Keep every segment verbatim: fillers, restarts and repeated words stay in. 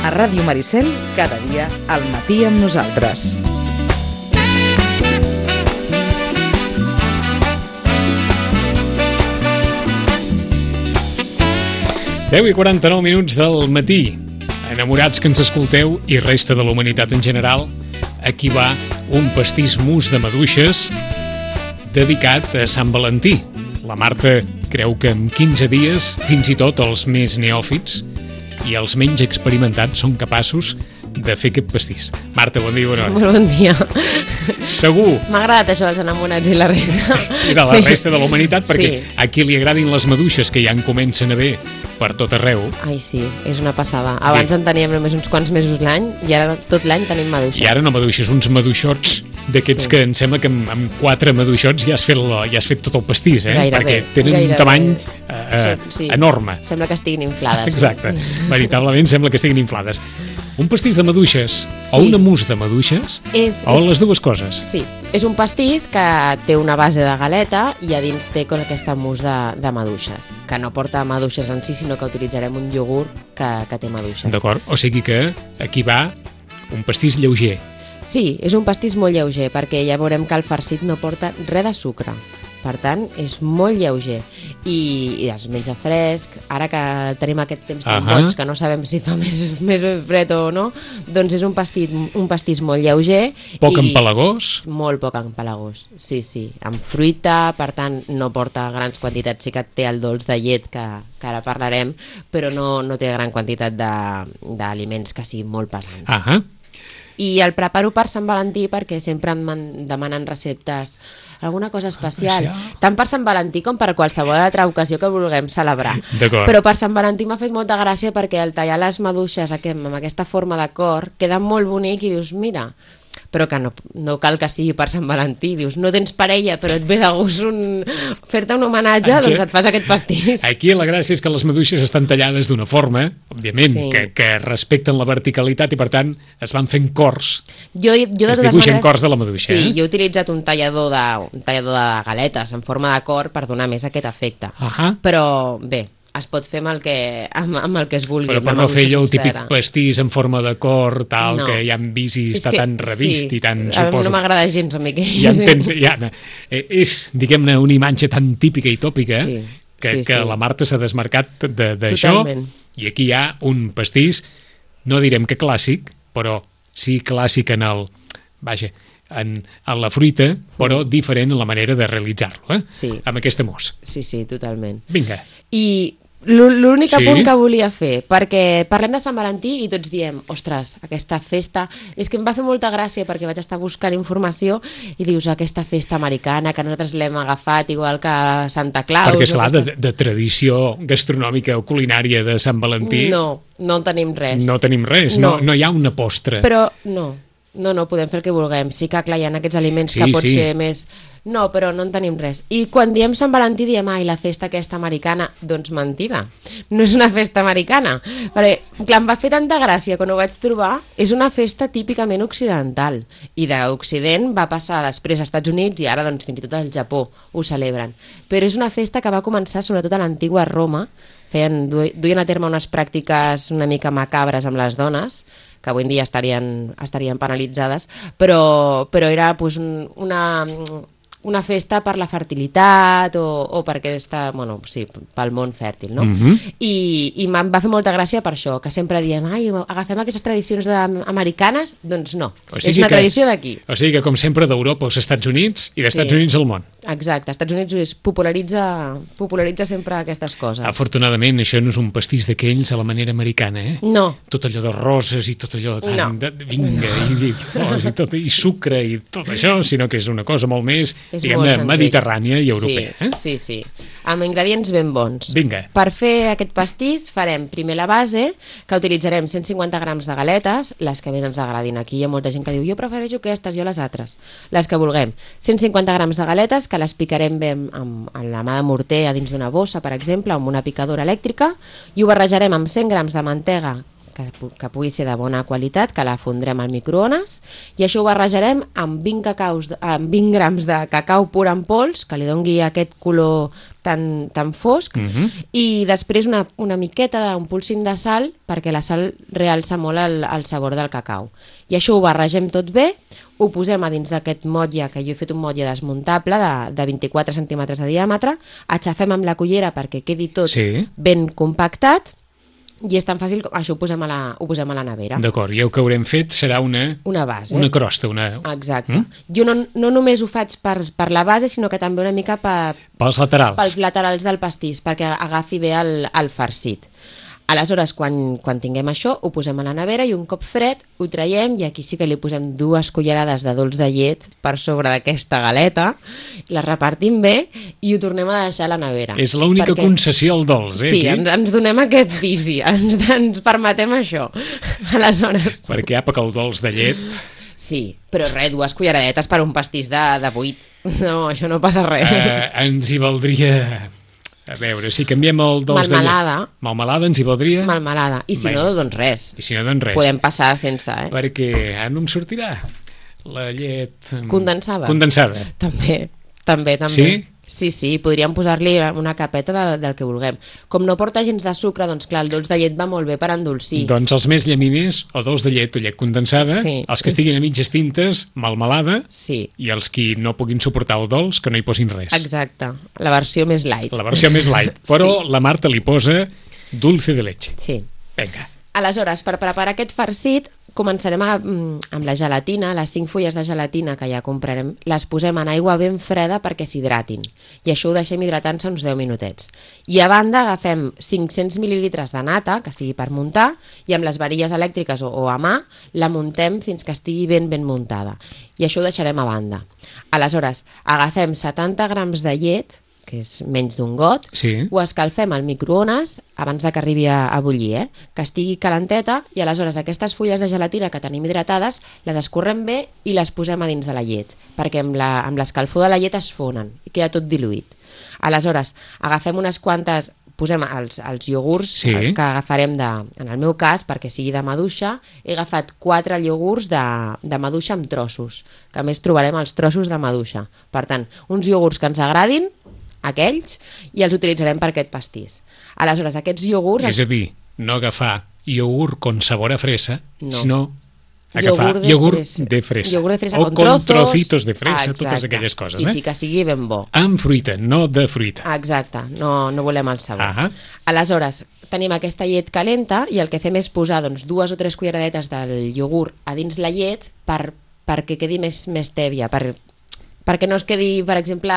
A Ràdio Maricel, cada dia al matí amb nosaltres. deu i quaranta-nou minuts del matí. Enamorats que ens escolteu i resta de la humanitat en general, aquí va un pastís mus de maduixes dedicat a Sant Valentí. La Marta creu que en quinze dies, fins i tot els més neòfits i els menys experimentats són capaços de fer aquest pastís. Marta, bon dia, bona hora. Molt bon dia. Segur. M'ha agradat això dels enamorats i la resta. I de la sí. resta de la humanitat, perquè sí. a qui li agradin les maduixes, que ja en comencen a haver per tot arreu. Ai, sí, és una passada. Abans en teníem només uns quants mesos l'any i ara tot l'any tenim maduixes. I ara no maduixes, uns maduixots d'aquests sí. que em sembla que amb, amb quatre maduixots ja has fet, la, ja has fet tot el pastís, eh? Gairebé, perquè tenen gairebé. un tamany eh, sí. enorme. Sembla que estiguin inflades. Exacte, no? Veritablement sembla que estiguin inflades. Un pastís de maduixes sí. o una mousse de maduixes és, o és, les dues coses? Sí, és un pastís que té una base de galeta i a dins té com aquesta mousse de, de maduixes, que no porta maduixes en si, sinó que utilitzarem un iogurt que, que té maduixes. D'acord, o sigui que aquí va un pastís lleuger. Sí, és un pastís molt lleuger, perquè ja veurem que el farcit no porta res de sucre. Per tant, és molt lleuger i, i es menja fresc. Ara que tenim aquest temps tan uh -huh. boig, que no sabem si fa més, més ben fred o no, doncs és un pastís, un pastís molt lleuger. Poc empalagós? Molt poc empalagós, sí, sí. Amb fruita, per tant, no porta grans quantitats. Sí que té el dolç de llet, que, que ara parlarem, però no, no té gran quantitat d'aliments que siguin molt pesants. Uh -huh. I el preparo per Sant Valentí perquè sempre em demanen receptes, alguna cosa especial, especial, tant per Sant Valentí com per qualsevol altra ocasió que vulguem celebrar. Però per Sant Valentí m'ha fet molta gràcia perquè al tallar les maduixes amb aquesta forma de cor queda molt bonic i dius, mira, però que no, no cal que sigui per Sant Valentí. Dius, no tens parella, però et ve de gust un... fer-te un homenatge, Exacte. doncs et fas aquest pastís. Aquí la gràcia és que les maduixes estan tallades d'una forma, òbviament, sí. que, que respecten la verticalitat i, per tant, es van fent cors. Jo, jo es dibuixen maneres... cors de la maduixa. Sí, eh? jo he utilitzat un tallador, de, un tallador de galetes en forma de cor per donar més aquest efecte. Uh -huh. Però, bé, es pot fer amb el que, amb, amb el que es vulgui. Però per no fer allò el típic pastís en forma de cor, tal, no. que ja hem vist i està que, tan revist sí. i tan... A mi no m'agrada gens a mi que... Ja entens, ja, és, diguem-ne, una imatge tan típica i tòpica sí. que, sí, que sí. la Marta s'ha desmarcat d'això i aquí hi ha un pastís, no direm que clàssic, però sí clàssic en el... Vaja, en, en la fruita, però diferent en la manera de realitzar-lo, eh? Sí. Amb aquesta mousse. Sí, sí, totalment. Vinga. I l'únic sí? punt que volia fer, perquè parlem de Sant Valentí i tots diem, ostres, aquesta festa, és que em va fer molta gràcia perquè vaig estar buscant informació i dius, aquesta festa americana que nosaltres l'hem agafat igual que Santa Claus. Perquè, esclar, de, de tradició gastronòmica o culinària de Sant Valentí... No, no tenim res. No tenim res, no, no, no hi ha una postre. Però no. No, no, podem fer el que vulguem. Sí que, clar, hi ha aquests aliments sí, que pot sí. ser més... No, però no en tenim res. I quan diem Sant Valentí diem, ai, la festa aquesta americana, doncs mentida. No és una festa americana. Perquè, clar, em va fer tanta gràcia quan ho vaig trobar. És una festa típicament occidental. I d'Occident va passar després als Estats Units i ara, doncs, fins i tot al Japó ho celebren. Però és una festa que va començar sobretot a l'antiga Roma. Feien, duien a terme unes pràctiques una mica macabres amb les dones, que avui en dia estarien, estarien penalitzades, però, però era pues, una, una festa per la fertilitat o, o per aquesta, bueno, sí, pel món fèrtil, no? Mm-hmm. I, i em va fer molta gràcia per això, que sempre diem, ai, agafem aquestes tradicions americanes, doncs no, o sigui és una que, tradició d'aquí. O sigui que, com sempre, d'Europa als Estats Units i dels sí. Estats Units al món. Exacte, als Estats Units popularitza, popularitza sempre aquestes coses. Afortunadament, això no és un pastís d'aquells a la manera americana, eh? No. Tot allò de roses i tot allò de, no. de vinga, no. i, i flors i, tot, i sucre i tot això, sinó que és una cosa molt més, diguem-ne, mediterrània i europea. Sí, eh? sí, sí. Amb ingredients ben bons. Vinga. Per fer aquest pastís farem primer la base, que utilitzarem cent cinquanta grams de galetes, les que més ens agradin. Aquí hi ha molta gent que diu, jo prefereixo aquestes, jo les altres. Les que vulguem. cent cinquanta grams de galetes, que les picarem bé amb, amb, amb la mà de morter a dins d'una bossa, per exemple, amb una picadora elèctrica, i ho barrejarem amb cent grams de mantega que, que pugui ser de bona qualitat, que la fondrem al microones, i això ho barrejarem amb vint, cacaus, amb vint grams de cacau pur en pols, que li dongui aquest color tan, tan fosc, uh-huh. i després una, una miqueta d'un polsim de sal, perquè la sal realça molt el, el sabor del cacau. I això ho barregem tot bé, ho posem a dins d'aquest motlle, que jo he fet un motlle desmuntable de, de vint-i-quatre centímetres de diàmetre, aixafem amb la cullera perquè quedi tot sí. ben compactat, i és tan fàcil com això ho posem a la, ho posem a la nevera. D'acord, i el que haurem fet serà una, una base. Una crosta. Una... Exacte. Mm? Jo no, no només ho faig per, per la base, sinó que també una mica per, pels laterals. Pels laterals del pastís, perquè agafi bé el, el farcit. Aleshores, quan, quan tinguem això, ho posem a la nevera i un cop fred ho traiem, i aquí sí que li posem dues cullerades de dolç de llet per sobre d'aquesta galeta, la repartim bé i ho tornem a deixar a la nevera. És l'única perquè... concessió al dolç, eh? Sí, ens, ens donem aquest vici, ens, ens permetem això. Aleshores... Perquè apa que el dolç de llet... Sí, però res, dues culleradetes per un pastís de, de vuit. No, això no passa res. Uh, ens hi valdria... A veure, si canviem el dolç de llet... Malmelada. Malmelada ens hi valdria? Malmelada. I si Bé. no, doncs res. I si no, doncs res. Podem passar sense, eh? Perquè ara no em sortirà la llet... Condensada. Condensada. També, també, també. Sí? Sí, sí, podríem posar-li una capeta de, del que vulguem. Com no porta gens de sucre, doncs clar, el dolç de llet va molt bé per endolcir. Doncs els més llaminers, o dolç de llet o llet condensada, sí. Els que estiguin a mitges tintes, malmelada, sí. I els qui no puguin suportar el dolç, que no hi posin res. Exacte, la versió més light. La versió més light, però sí. La Marta li posa dulce de leche. Sí. Vinga. Aleshores, per preparar aquest farcit, començarem a, amb la gelatina, les cinc fulles de gelatina que ja comprarem, les posem en aigua ben freda perquè s'hidratin. I això ho deixem hidratant-se uns deu minutets. I a banda agafem cinc-cents mil·lilitres de nata, que estigui per muntar, i amb les varilles elèctriques o, o a mà la muntem fins que estigui ben ben muntada. I això ho deixarem a banda. Aleshores, agafem setanta grams de llet, que és menys d'un got, sí. Ho escalfem al microones abans de que arribi a, a bullir, eh? Que estigui calenteta, i aleshores aquestes fulles de gelatina que tenim hidratades les escorrem bé i les posem a dins de la llet, perquè amb la, amb l'escalfor de la llet es fonen i queda tot diluït. Aleshores, agafem unes quantes, posem els, els iogurts sí. que agafarem, de, en el meu cas, perquè sigui de maduixa, he agafat quatre iogurts de, de maduixa amb trossos, que a més trobarem els trossos de maduixa. Per tant, uns iogurts que ens agradin, aquells, i els utilitzarem per aquest pastís. Aleshores, aquests iogurts... És a dir, no agafar iogurt con sabor a fresa, no. Sinó agafar iogurt de, iogurt fresa. de fresa. Iogurt de fresa o con, con trozos. trocitos de fresa, Exacte. Totes aquelles coses. Sí, eh? sí, que sigui ben bo. Amb fruita, no de fruita. Exacte, no, no volem el sabor. Ah. Aleshores, tenim aquesta llet calenta i el que fem és posar doncs, dues o tres culleradetes del iogurt a dins la llet per, perquè quedi més, més tèbia, per... perquè no es quedi, per exemple,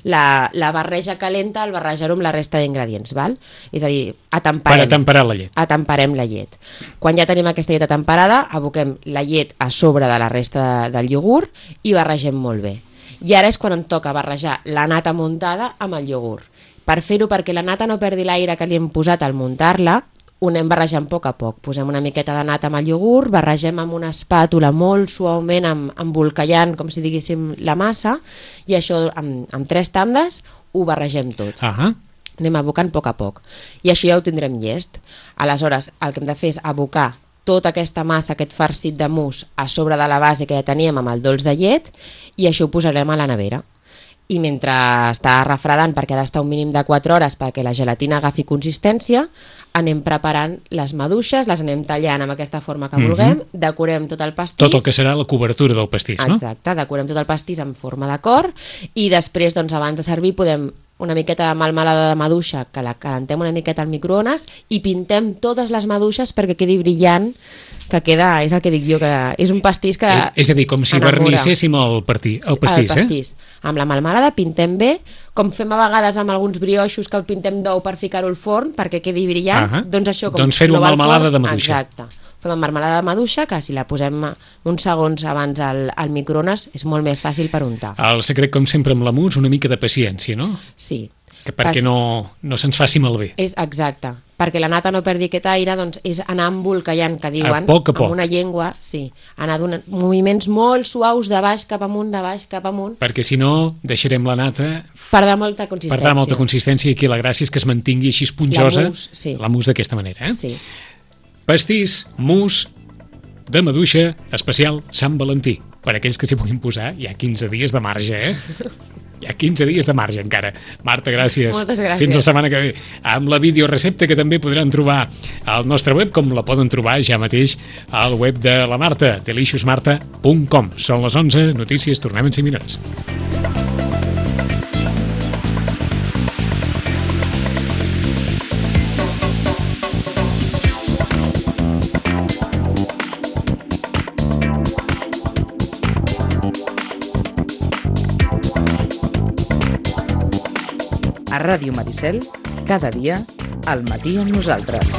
la, la barreja calenta al barrejar-ho amb la resta d'ingredients, val? És a dir, atemperem. Per atemperar la llet. Atemperem la llet. Quan ja tenim aquesta llet atemperada, aboquem la llet a sobre de la resta de, del iogurt i barregem molt bé. I ara és quan em toca barrejar la nata muntada amb el iogurt. Per fer-ho, perquè la nata no perdi l'aire que li hem posat al muntar-la, ho anem barrejant a poc a poc. Posem una miqueta de nata amb el iogurt, barregem amb una espàtula molt suaument, amb, embolcallant, com si diguéssim, la massa, i això amb, amb tres tandes ho barregem tot. Ahà. Anem abocant a poc a poc. I això ja ho tindrem llest. Aleshores, el que hem de fer és abocar tota aquesta massa, aquest farcit de mousse, a sobre de la base que ja teníem amb el dolç de llet, i això ho posarem a la nevera. I mentre està refredant, perquè ha d'estar un mínim de quatre hores perquè la gelatina agafi consistència, anem preparant les maduixes, les anem tallant amb aquesta forma que vulguem, mm-hmm. decorem tot el pastís. Tot el que serà la cobertura del pastís, no? Exacte, decorem tot el pastís en forma de cor i després, doncs, abans de servir, podem una miqueta de melmelada de maduixa, que la calentem una miqueta al microones i pintem totes les maduixes perquè quedi brillant, que queda, és el que dic jo, que és un pastís que eh, és a dir, com si enamora. vernisséssim el, partí, el pastís, el pastís. Eh? Amb la melmelada pintem bé, com fem a vegades amb alguns brioixos que el pintem d'ou per ficar-ho al forn perquè quedi brillant, uh-huh. doncs això com doncs fer-ho no amb va al melmelada forn, de maduixa. Exacte. Fem amb marmelada de maduixa, que si la posem uns segons abans al, al microones és molt més fàcil per untar. El secret, com sempre amb la mousse, una mica de paciència, no? Sí. Que perquè no, no se'ns faci malbé. És exacte. Perquè la nata no perdi aquest aire, doncs és anar embolcallant, que diuen, a poc a poc. amb una llengua, sí, anar donant moviments molt suaus de baix cap amunt, de baix cap amunt. Perquè si no, deixarem la nata... Perdrà molta consistència. Perdrà molta consistència i aquí la gràcia és que es mantingui així esponjosa, la mousse, sí. La mousse d'aquesta manera. Eh? Sí. Pastís, mousse de maduixa especial Sant Valentí. Per aquells que s'hi puguin posar, hi ha quinze dies de marge, eh? Hi ha quinze dies de marge encara. Marta, gràcies. Moltes gràcies. Fins la setmana que ve. Amb la videorecepta que també podran trobar al nostre web, com la poden trobar ja mateix al web de la Marta, delicious marta punt com. Són les onze, notícies, tornem en cinc minuts. A Ràdio Maricel, cada dia, al matí amb nosaltres.